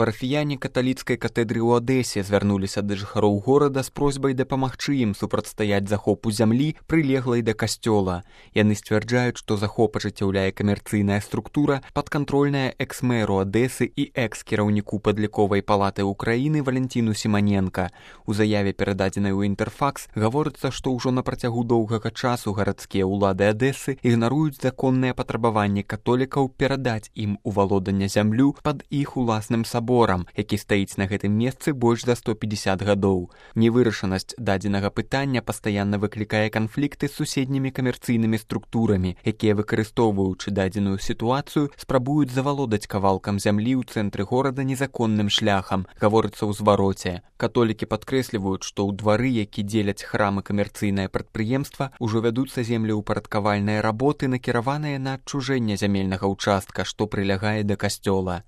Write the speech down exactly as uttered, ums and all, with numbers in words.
Парафіяне каталіцкай катэдры ў Адэсе звярнуліся да жыхароў горада з просьбай дапамагчы ім супрацьстаяць захопу зямлі, прылеглай да касцёла. Яны сцвярджаюць, што захоп ажыццяўляе камерцыйная структура, падкантрольная экс-мэру Адэсы і экс-кіраўніку падліковай палаты ўкраіны Валентіну Сіманенка. У заяве, перададзенай у Інтэрфакс, гаворыцца, што ўжо на працягу доўгага часу гарадскія ўлады Адэсы ігнаруюць законныя патрабаванні католікаў перадаць ім у валоданне зямлю пад іх уласным саборам, які стаіць на гэтым месцы больш за сто пятьдесят гадоў. Невырашанасць дадзенага пытання пастаянна выклікае канфлікты з суседнімі камерцыйнымі структурамі, якія, выкарыстоўваючы дадзеную сітуацыю, спрабуюць завалодаць кавалкам зямлі ў цэнтры горада незаконным шляхам, гаворыцца ў звароце. Католікі падкрэсліваюць, што ў двары, які дзеляць храм і камерцыйнае прадпрыемства, ужо вядуцца землеўпарадкавальныя работы, накіраваныя на адчужэнне зямельнага ўчастка, што прылягае да касцёла.